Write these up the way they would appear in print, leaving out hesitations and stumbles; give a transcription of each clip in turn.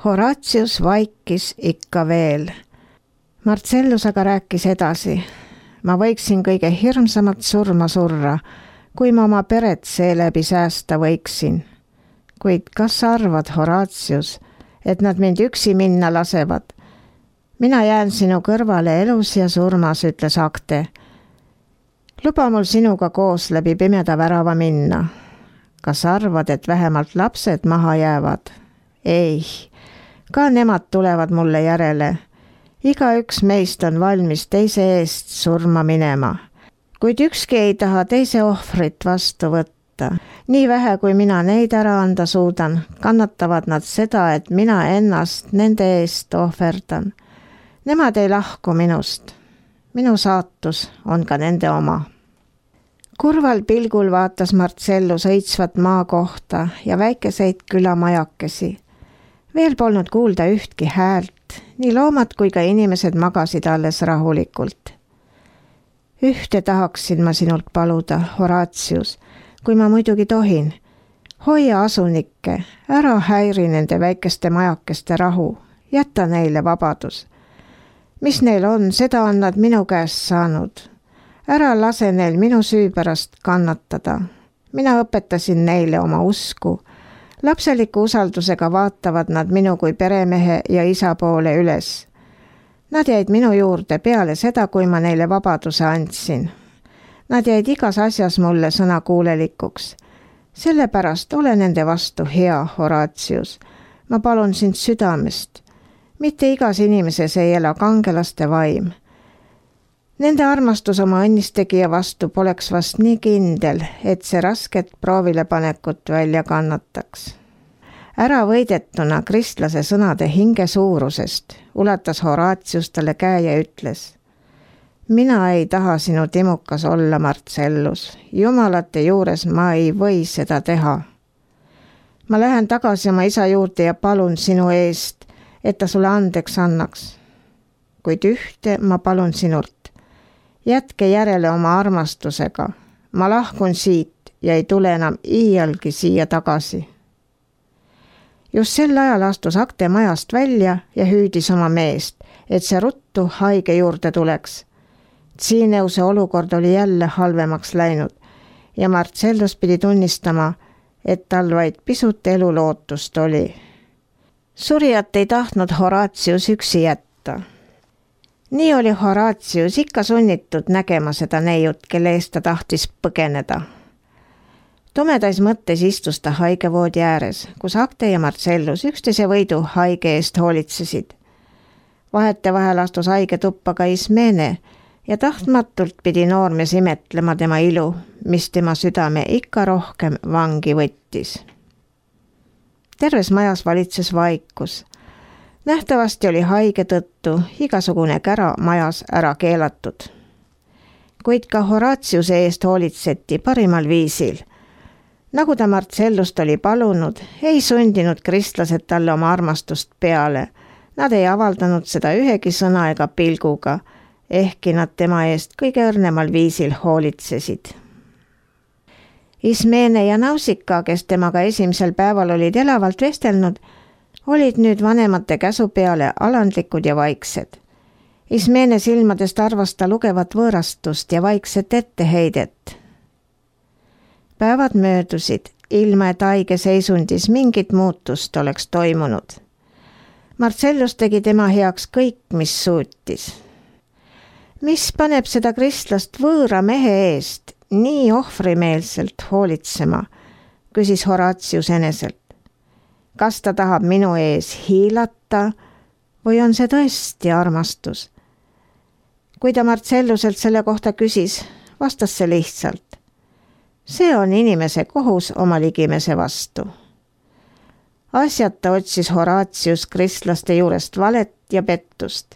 Horatius vaikis ikka veel. Marcellus aga rääkis edasi. Ma võiksin kõige hirmsamat surma surra, kui ma oma peret seeläbi säästa võiksin. Kuid kas sa arvad, Horatius, et nad mind üksi minna lasevad? Mina jään sinu kõrvale elus ja surmas, ütles Acte. Luba mul sinuga koos läbi pimeda värava minna. Kas arvad, et vähemalt lapsed maha jäävad? Ei, ka nemad tulevad mulle järele. Igaüks meist on valmis teise eest surma minema, kuid ükski ei taha teise ohvrit vastu võtta. Nii vähe, kui mina neid ära anda suudan, kannatavad nad seda, et mina ennast nende eest ohverdan. Nemad ei lahku minust. Minu saatus on ka nende oma. Kurval pilgul vaatas Marcellus õitsvat maa kohta ja väikeseid külamajakesi. Veel polnud kuulda ühtki häält, nii loomad kui ka inimesed magasid alles rahulikult. Ühte tahaksin ma sinult paluda, Horatius, kui ma muidugi tohin. Hoia asunikke, ära häiri nende väikeste majakeste rahu, jäta neile vabadus. Mis neil on, seda on nad minu käest saanud. Ära lase neil minu süü pärast kannatada. Mina õpetasin neile oma usku. Lapseliku usaldusega vaatavad nad minu kui peremehe ja isa poole üles. Nad jäid minu juurde peale seda, kui ma neile vabaduse andsin. Nad jäid igas asjas mulle sõnakuulelikuks. Sellepärast ole nende vastu hea, Horatius. Ma palun sind südamest. Mitte igas inimeses ei ela kangelaste vaim. Nende armastus oma õnnistegija vastu poleks vast nii kindel, et see rasket proovilepanekut välja kannataks. Ära võidetuna kristlase sõnade hinge suurusest ulatas Horatius talle käe ja ütles: Mina ei taha sinu timukas olla, Marcellus. Jumalate juures ma ei või seda teha. Ma lähen tagasi oma isa juurde ja palun sinu eest, et ta sulle andeks annaks. Kuid ühte ma palun sinult. Jätke järele oma armastusega. Ma lahkun siit ja ei tule enam iialgi siia tagasi. Just sel ajal astus Acte majast välja ja hüüdis oma meest, et see ruttu haige juurde tuleks. Tsiineuse olukord oli jälle halvemaks läinud ja Marcellus pidi tunnistama, et tal vaid pisut elulootust oli. Surijat ei tahtnud Horatius üksi jätta. Nii oli Horatius ikka sunnitud nägema seda neiut, kelle eest ta tahtis põgeneda. Tumedais mõttes istus ta haigevoodi ääres, kus Acte ja Marcellus üksteise võidu haige eest hoolitsesid. Vahetevahel astus haige tuppa ka Ismene ja tahtmatult pidi noormees imetlema tema ilu, mis tema südame ikka rohkem vangi võttis. Terves majas valitses vaikus. Nähtavasti oli haige tõttu igasugune kära majas ära keelatud. Kuid ka Horatiuse eest hoolitseti parimal viisil. Nagu ta Marcellust oli palunud, ei sundinud kristlased talle oma armastust peale. Nad ei avaldanud seda ühegi sõna ega pilguga, ehkki nad tema eest kõige õrnemal viisil hoolitsesid. Ismene ja Nausika, kes temaga esimesel päeval olid elavalt vestelnud, olid nüüd vanemate käsu peale alandlikud ja vaiksed. Ismene silmadest arvas ta lugevat võõrastust ja vaikset etteheidet. Päevad möödusid, ilma et haige seisundis mingit muutust oleks toimunud. Marcellus tegi tema heaks kõik, mis suutis. Mis paneb seda kristlast võõra mehe eest nii ohvrimeelselt hoolitsema, küsis Horatius eneselt. Kas ta tahab minu ees hiilata või on see tõesti armastus? Kui ta Marcelluselt selle kohta küsis, vastas see lihtsalt. See on inimese kohus oma ligimese vastu. Asjata otsis Horatius kristlaste juurest valet ja pettust.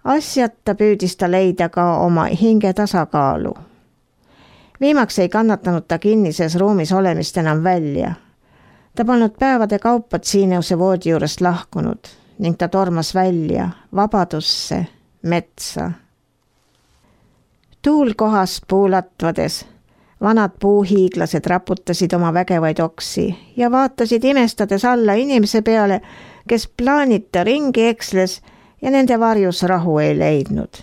Asjata püüdis ta leida ka oma hinge tasakaalu. Viimaks ei kannatanud ta kinnises ruumis olemist enam välja. Ta polnud päevade kaupa Tsiineuse voodi juurest lahkunud ning ta tormas välja vabadusse, metsa. Tuul kohas puulatvades, vanad puuhiiglased raputasid oma vägevaid oksi ja vaatasid imestades alla inimese peale, kes plaanita ringi eksles ja nende varjus rahu ei leidnud.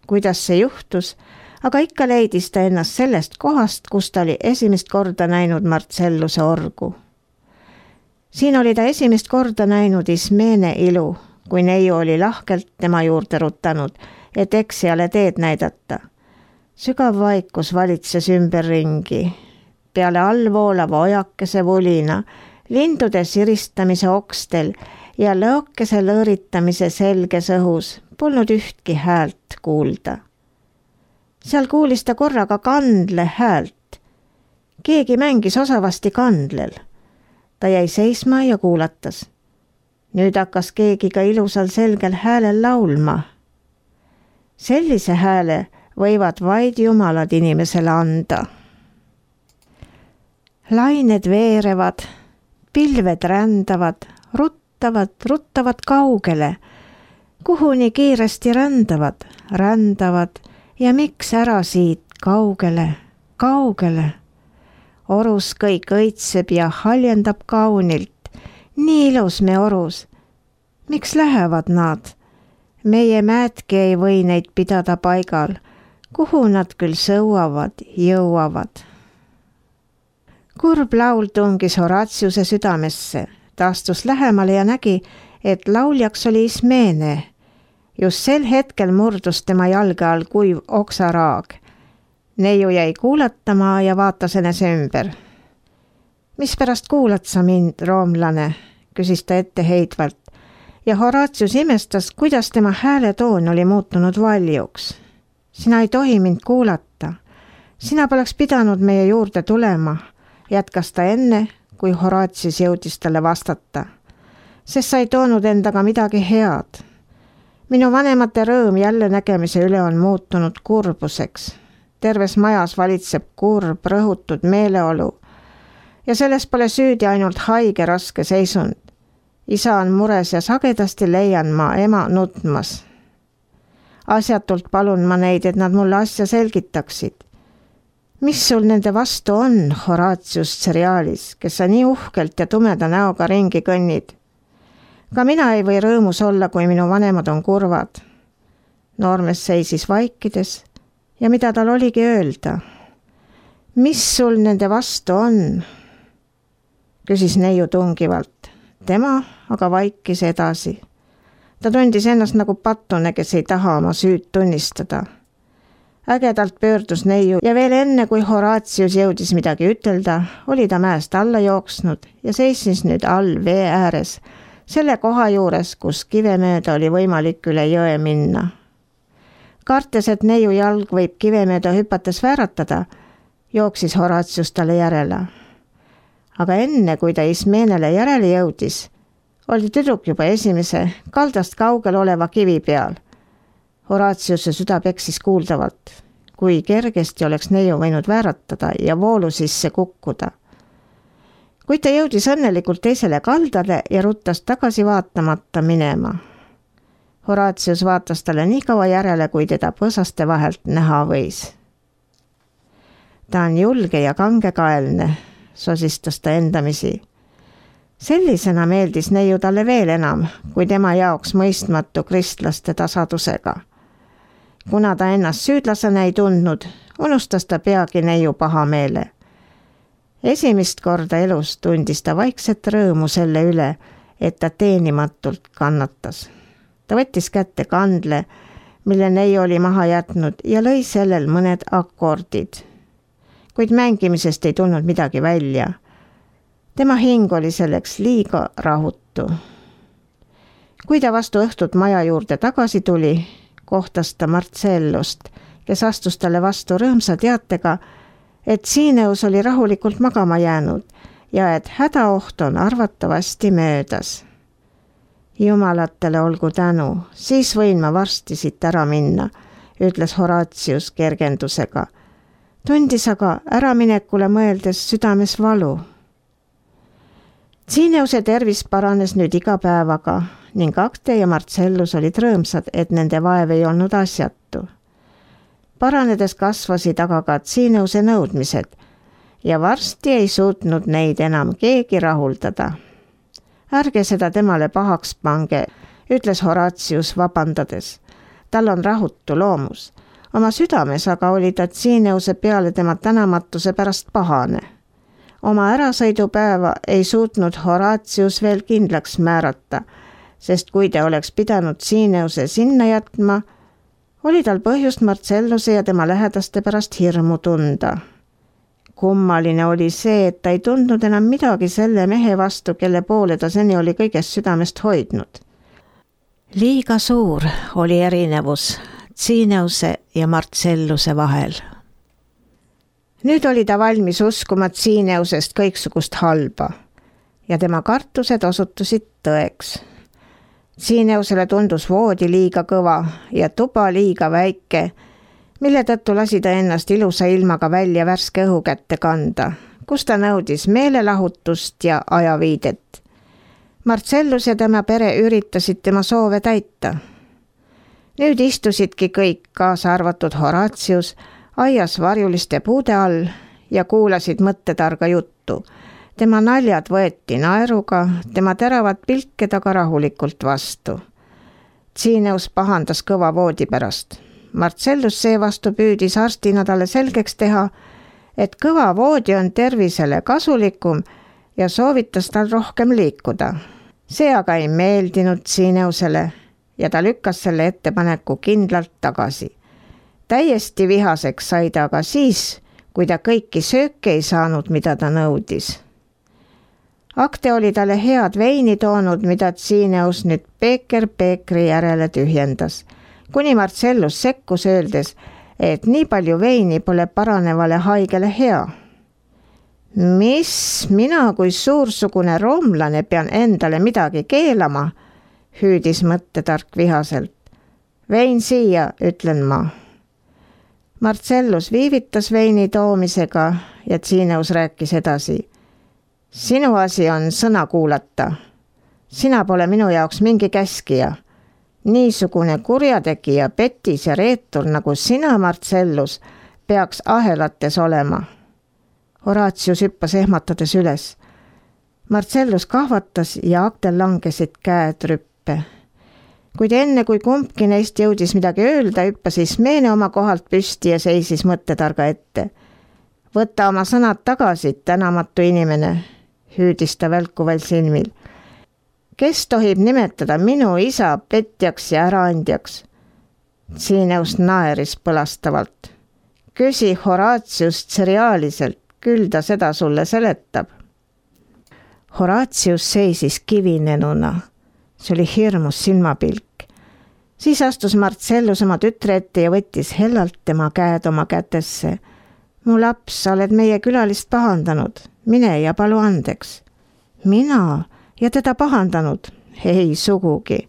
Kuidas see juhtus, aga ikka leidis ta ennast sellest kohast, kus ta oli esimest korda näinud Marcelluse orgu. Siin oli ta esimest korda näinud Ismene ilu, kui neiu oli lahkelt tema juurde rutanud, et eksijale teed näidata. Sügav vaikus valitses ümberringi. Peale allvoolava ojakese vulina, lindude siristamise okstel ja lõokese lõõritamise selges õhus polnud ühtki häält kuulda. Seal kuulis ta korraga kandle häält. Keegi mängis osavasti kandlel. Ta jäi seisma ja kuulatas. Nüüd hakkas keegi ka ilusal selgel häälel laulma. Sellise hääle võivad vaid jumalad inimesele anda. Lained veerevad, pilved rändavad, ruttavad kaugele. Kuhu nii kiiresti rändavad ja miks ära siit kaugele. Orus kõik õitseb ja haljendab kaunilt. Nii ilus me orus. Miks lähevad nad? Meie määtki ei või neid pidada paigal. Kuhu nad küll sõuavad, jõuavad? Kurb laul tungis Horatiuse südamesse. Ta astus lähemale ja nägi, et lauljaks oli Ismene. Just sel hetkel murdus tema jalge all kuiv oksaraag. Neiu jäi kuulatama ja vaatas enese ümber. Mispärast kuulad sa mind, roomlane? Küsis ta etteheidvalt ja Horatius imestas, kuidas tema hääletoon oli muutunud valjuks. Sina ei tohi mind kuulata. Sina poleks pidanud meie juurde tulema, jätkas ta enne, kui Horatius jõudis talle vastata. Sest sa ei toonud endaga midagi head. Minu vanemate rõõm jälle nägemise üle on muutunud kurbuseks. Terves majas valitseb kurb, rõhutud meeleolu ja selles pole süüdi ainult haige raske seisund. Isa on mures ja sagedasti leian ma ema nutmas. Asjatult palun ma neid, et nad mulle asja selgitaksid. Mis sul nende vastu on, Horatius Cerealis, kes sa nii uhkelt ja tumeda näoga ringi kõnnid? Ka mina ei või rõõmus olla, kui minu vanemad on kurvad. Noormees seisis vaikides ja mida tal oligi öelda? Mis sul nende vastu on? Küsis neiu tungivalt. Tema aga vaikis edasi. Ta tundis ennast nagu pattune, kes ei taha oma süüd tunnistada. Ägedalt pöördus neiu ja veel enne, kui Horatius jõudis midagi ütelda, oli ta mäest alla jooksnud ja seisis nüüd all vee ääres, selle koha juures, kus kive mööda oli võimalik üle jõe minna. Kartes, et neiu jalg võib kive mööda hüpates vääratada, jooksis Horatius talle järele. Aga enne, kui ta Ismenele järele jõudis, oli tüdruk juba esimese kaldast kaugel oleva kivi peal. Horatiuse süda peksis kuuldavalt, kui kergesti oleks neiu võinud vääratada ja voolu sisse kukkuda. Kuid ta jõudis õnnelikult teisele kaldale ja ruttas tagasi vaatamata minema. Horatius vaatas talle nii kaua järele, kui teda põõsaste vahelt näha võis. Ta on julge ja kangekaelne, sosistas ta endamisi. Sellisena meeldis neiu talle veel enam, kui tema jaoks mõistmatu kristlaste tasadusega. Kuna ta ennast süüdlasena ei tundnud, unustas ta peagi neiu pahameele. Esimest korda elus tundis ta vaikset rõõmu selle üle, et ta teenimatult kannatas. Ta võttis kätte kandle, mille neiu oli maha jätnud ja lõi sellel mõned akordid. Kuid mängimisest ei tulnud midagi välja. Tema hing oli selleks liiga rahutu. Kui ta vastu õhtut maja juurde tagasi tuli, kohtas ta Marcellust, kes astus talle vastu rõõmsa teatega, et Siineus oli rahulikult magama jäänud ja et hädaoht on arvatavasti möödas. Jumalatele olgu tänu, siis võin ma varsti siit ära minna, ütles Horatius kergendusega. Tundis aga äraminekule mõeldes südames valu. Siineuse tervis paranes nüüd iga päevaga ning Acte ja Marcellus olid rõõmsad, et nende vaev ei olnud asjatu. Paranedes kasvasid aga ka Siineuse nõudmised ja varsti ei suutnud neid enam keegi rahuldada. Ärge seda temale pahaks pange, ütles Horatius vabandades. Tal on rahutu loomus. Oma südames aga oli ta Tsiineuse peale tema tänamatuse pärast pahane. Oma ärasõidupäeva ei suutnud Horatius veel kindlaks määrata, sest kui ta oleks pidanud Tsiineuse sinna jätma, oli tal põhjust Marcelluse ja tema lähedaste pärast hirmu tunda. Kummaline oli see, et ta ei tundnud enam midagi selle mehe vastu, kelle poole ta seni oli kõigest südamest hoidnud. Liiga suur oli erinevus Tsiineuse ja Marcelluse vahel. Nüüd oli ta valmis uskuma Tsiineusest kõiksugust halba ja tema kartused osutusid tõeks. Tsiineusele tundus voodi liiga kõva ja tuba liiga väike, mille tõttu lasi ta ennast ilusa ilmaga välja värske õhu kätte kanda, kus ta nõudis meelelahutust ja ajaviidet. Marcellus ja tema pere üritasid tema soove täita. Nüüd istusidki kõik, kaasa arvatud Horatius, aias varjuliste puude all ja kuulasid mõttetarga juttu. Tema naljad võeti naeruga, tema teravad pilke taga rahulikult vastu. Tsiineus pahandas kõva voodi pärast. Marcellus seevastu püüdis arstina talle selgeks teha, et kõva voodi on tervisele kasulikum ja soovitas tal rohkem liikuda. See aga ei meeldinud Tsiineusele ja ta lükkas selle ettepaneku kindlalt tagasi. Täiesti vihaseks sai ta aga siis, kui ta kõiki sööke ei saanud, mida ta nõudis. Akte oli talle head veini toonud, mida Tsiineus nüüd peeker peekri järele tühjendas, kuni Marcellus sekkus öeldes, et nii palju veini pole paranevale haigele hea. Mis, mina kui suursugune roomlane pean endale midagi keelama, hüüdis mõttetark vihaselt. Vein siia, ütlen ma. Marcellus viivitas veini toomisega ja Tsiineus rääkis edasi. Sinu asi on sõna kuulata. Sina pole minu jaoks mingi käskija. Niisugune kurjategija, petis ja reetur nagu sina, Marcellus, peaks ahelates olema. Horatius hüppas ehmatades üles. Marcellus kahvatas ja aktel langesid käed rüppe. Kuid enne, kui kumbki neist jõudis midagi öelda, hüppas Ismeene oma kohalt püsti ja seisis mõttetarga ette. Võta oma sõnad tagasi, tänamatu inimene, hüüdis ta välkuval silmil. Kes tohib nimetada minu isa petjaks ja äraandjaks? Tsiineus naeris põlastavalt. Küsi Horatius Tserialiselt, küll ta seda sulle seletab. Horatius seisis kivinenuna. See oli hirmus silmapilk. Siis astus Marcellus oma tütre ette ja võttis hellalt tema käed oma kätesse. Mu laps, sa oled meie külalist pahandanud. Mine ja palu andeks. Mina ja teda pahandanud? Ei sugugi.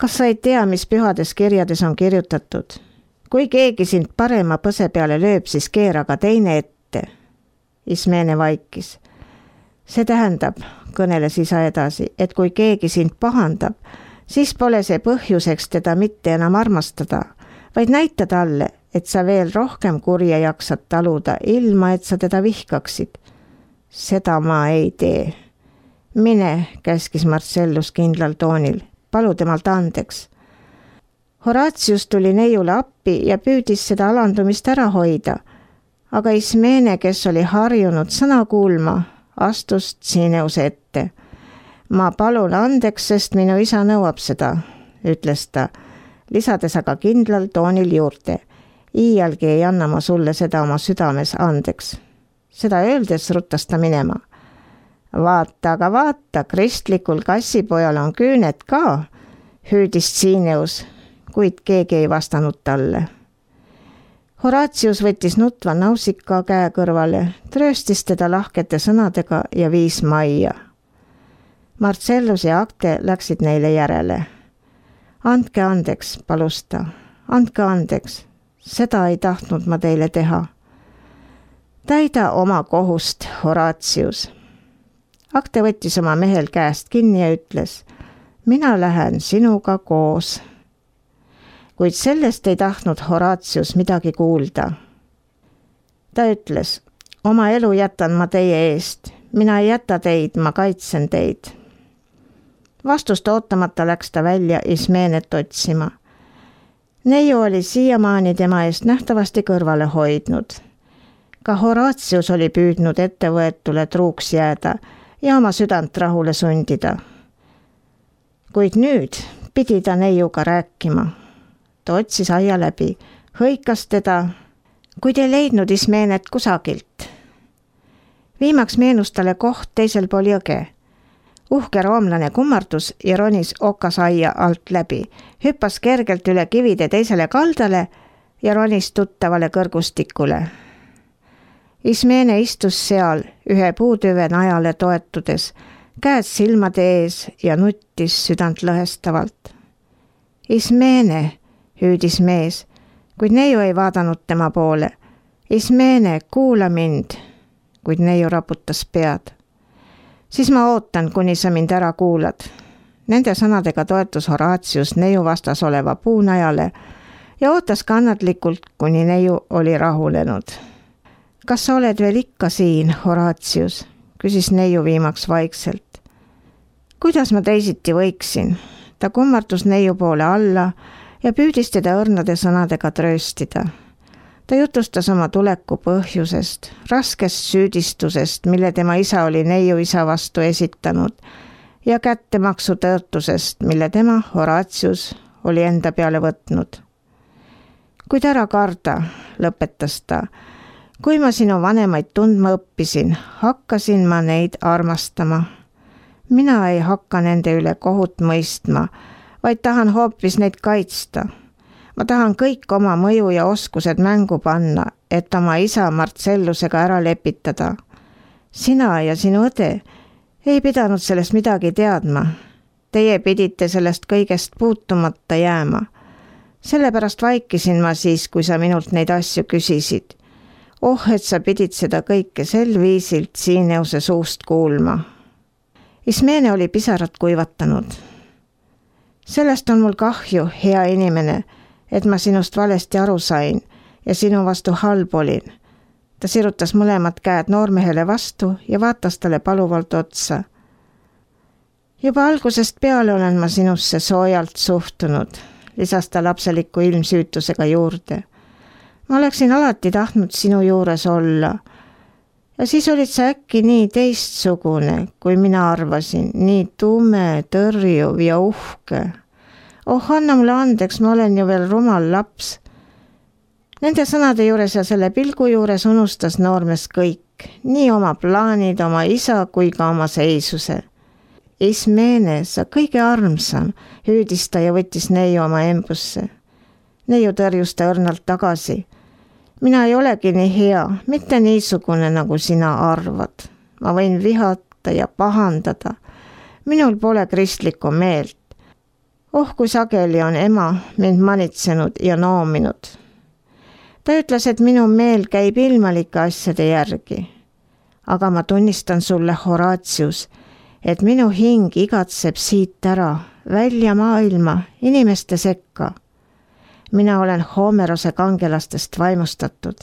Kas sa ei tea, mis pühades kirjades on kirjutatud? Kui keegi sind parema põse peale lööb, siis keera ka teine ette. Ismeene vaikis. See tähendab, kõneles isa edasi, et kui keegi sind pahandab, siis pole see põhjuseks teda mitte enam armastada, vaid näita talle, et sa veel rohkem kurja jaksad taluda, ilma et sa teda vihkaksid. Seda ma ei tee. Mine, käskis Marcellus kindlal toonil, palu temalt andeks. Horatius tuli neiule appi ja püüdis seda alandumist ära hoida, aga Ismeene, kes oli harjunud sõna kuulma, astus Tsiineuse ette. Ma palun andeks, sest minu isa nõuab seda, ütles ta, lisades aga kindlal toonil juurde. Iialgi ei anna ma sulle seda oma südames andeks. Seda öeldes ruttas ta minema. Vaata, aga vaata, kristlikul kassipojal on küüned ka, hüüdis Tsiineus, kuid keegi ei vastanud talle. Horatius võttis nutva nausika käe kõrvale, trööstis teda lahkete sõnadega ja viis majja. Marcellus ja Akte läksid neile järele. Andke andeks, palus ta. Andke andeks. Seda ei tahtnud ma teile teha. Täida oma kohust, Horatius. Akte võttis oma mehel käest kinni ja ütles, mina lähen sinuga koos. Kuid sellest ei tahtnud Horatius midagi kuulda. Ta ütles, oma elu jätan ma teie eest, mina ei jäta teid, ma kaitsen teid. Vastust ootamata läks ta välja Ismeenet otsima. Neiu oli siiamaani tema eest nähtavasti kõrvale hoidnud. Ka Horatius oli püüdnud ettevõetule truuks jääda ja oma südant rahule sundida. Kuid nüüd pidi ta neiuga rääkima. Ta otsis aia läbi, hõikas teda, kuid ei leidnud Ismeenet kusagilt. Viimaks meenus talle koht teisel pool jõge. Uhke roomlane kummardus ja ronis okasaia alt läbi, hüppas kergelt üle kivide teisele kaldale ja ronis tuttavale kõrgustikule. Ismeene istus seal ühe puutüve najale toetudes, käed silmade ees ja nuttis südant lõhestavalt. Ismeene, hüüdis mees, kuid neiu ei vaadanud tema poole. Ismeene, kuula mind, kuid neiu raputas pead. Siis ma ootan, kuni sa mind ära kuulad. Nende sõnadega toetus Horatius neiu vastas oleva puunajale ja ootas kannatlikult, kuni neiu oli rahulenud. Kas sa oled veel ikka siin, Horatius? Küsis neiu viimaks vaikselt. Kuidas ma teisiti võiksin? Ta kummardus neiu poole alla ja püüdis teda õrnade sõnadega trööstida. Ta jutustas oma tuleku põhjusest, raskest süüdistusest, mille tema isa oli neiu isa vastu esitanud ja kättemaksu tõotusest, mille tema, Horatius, oli enda peale võtnud. Kuid ära karda, lõpetas ta. Kui ma sinu vanemaid tundma õppisin, hakkasin ma neid armastama. Mina ei hakka nende üle kohut mõistma, vaid tahan hoopis neid kaitsta. Ma tahan kõik oma mõju ja oskused mängu panna, et oma isa Marcellusega ära lepitada. Sina ja sinu õde ei pidanud sellest midagi teadma. Teie pidite sellest kõigest puutumata jääma. Sellepärast vaikisin ma siis, kui sa minult neid asju küsisid. Et sa pidid seda kõike sel viisilt Siineuse suust kuulma. Ismeene oli pisarad kuivatanud. Sellest on mul kahju, hea inimene, et ma sinust valesti aru sain ja sinu vastu halb olin. Ta sirutas mõlemad käed noormehele vastu ja vaatas talle paluvalt otsa. Juba algusest peale olen ma sinusse soojalt suhtunud, lisas ta lapseliku ilmsüütusega juurde. Ma oleksin alati tahtnud sinu juures olla. Ja siis olid sa äkki nii teistsugune, kui mina arvasin, nii tume, tõrjuv ja uhke. Anna mulle andeks, ma olen ju veel rumal laps. Nende sõnade juures ja selle pilgu juures unustas noormees kõik, nii oma plaanid, oma isa kui ka oma seisuse. Ismeene, sa kõige armsam, hüüdis ta ja võttis neiu oma embusse. Neiu tõrjus ta õrnalt tagasi. Mina ei olegi nii hea, mitte niisugune, nagu sina arvad. Ma võin vihata ja pahandada. Minul pole kristlikku meelt. Kui sageli on ema mind manitsenud ja noominud. Ta ütles, et minu meel käib ilmalike asjade järgi. Aga ma tunnistan sulle, Horatius, et minu hing igatseb siit ära, välja maailma, inimeste sekka. Mina olen Homerose kangelastest vaimustatud.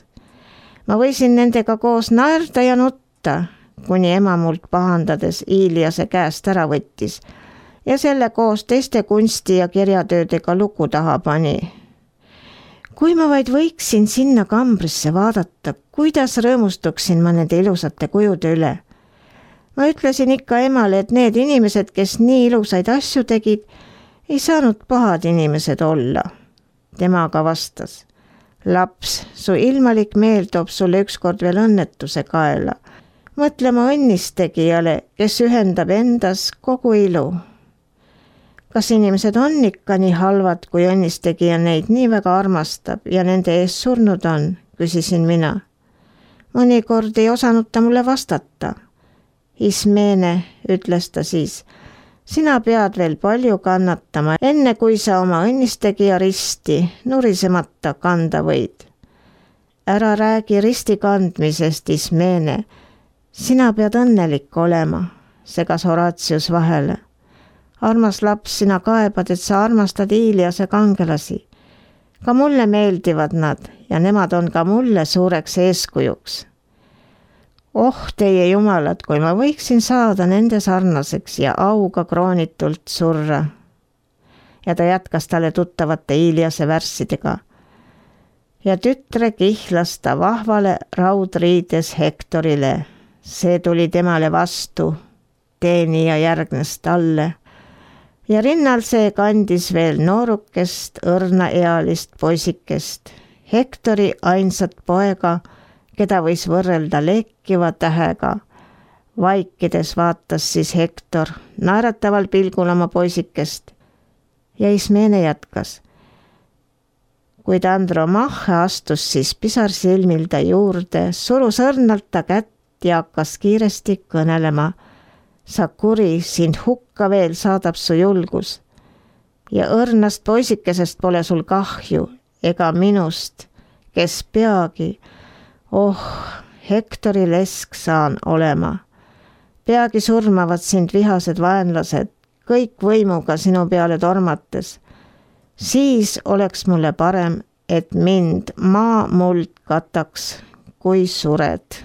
Ma võisin nendega koos naerda ja nutta, kuni ema mult pahandades Iliase käest ära võttis ja selle koos teiste kunsti- ja kirjatöödega luku taha pani. Kui ma vaid võiksin sinna kambrisse vaadata, kuidas rõõmustuksin ma nende ilusate kujude üle. Ma ütlesin ikka emale, et need inimesed, kes nii ilusaid asju tegid, ei saanud pahad inimesed olla. Tema aga vastas, laps, su ilmalik meel toob sulle ükskord veel õnnetuse kaela. Mõtle ma õnnistegijale, kes ühendab endas kogu ilu. Kas inimesed on ikka nii halvad, kui õnnistegija neid nii väga armastab ja nende ees surnud on, küsisin mina. Mõnikord ei osanud ta mulle vastata. Ismeene, ütles ta siis, sina pead veel palju kannatama, enne kui sa oma õnnistegija risti nurisemata kanda võid. Ära räägi risti kandmisest, Ismeene. Sina pead õnnelik olema, segas Horatius vahele. Armas laps, sina kaebad, et sa armastad Iliase kangelasi. Ka mulle meeldivad nad ja nemad on ka mulle suureks eeskujuks. Oh teie jumalad, kui ma võiksin saada nende sarnaseks ja auga kroonitult surra. Ja ta jätkas talle tuttavate Iliase värssidega. Ja tütre kihlas ta vahvale raudriides Hektorile. See tuli temale vastu, teenija järgnes talle. Ja rinnal see kandis veel noorukest, õrnaealist poisikest. Hektori ainsat poega, keda võis võrrelda lekkiva tähega. Vaikides vaatas siis Hektor naerataval pilgul oma poisikest. Ja Ismene jätkas. Kuid Andromache astus siis pisar silmil ta juurde, surus õrnalt ta kätt ja hakkas kiiresti kõnelema. Sa kuri, sind hukka veel saadab su julgus. Ja õrnast poisikesest pole sul kahju, ega minust, kes peagi, Hektori lesk saan olema. Peagi surmavad sind vihased vaenlased, kõik võimuga sinu peale tormates. Siis oleks mulle parem, et mind maa muld kataks, kui sured.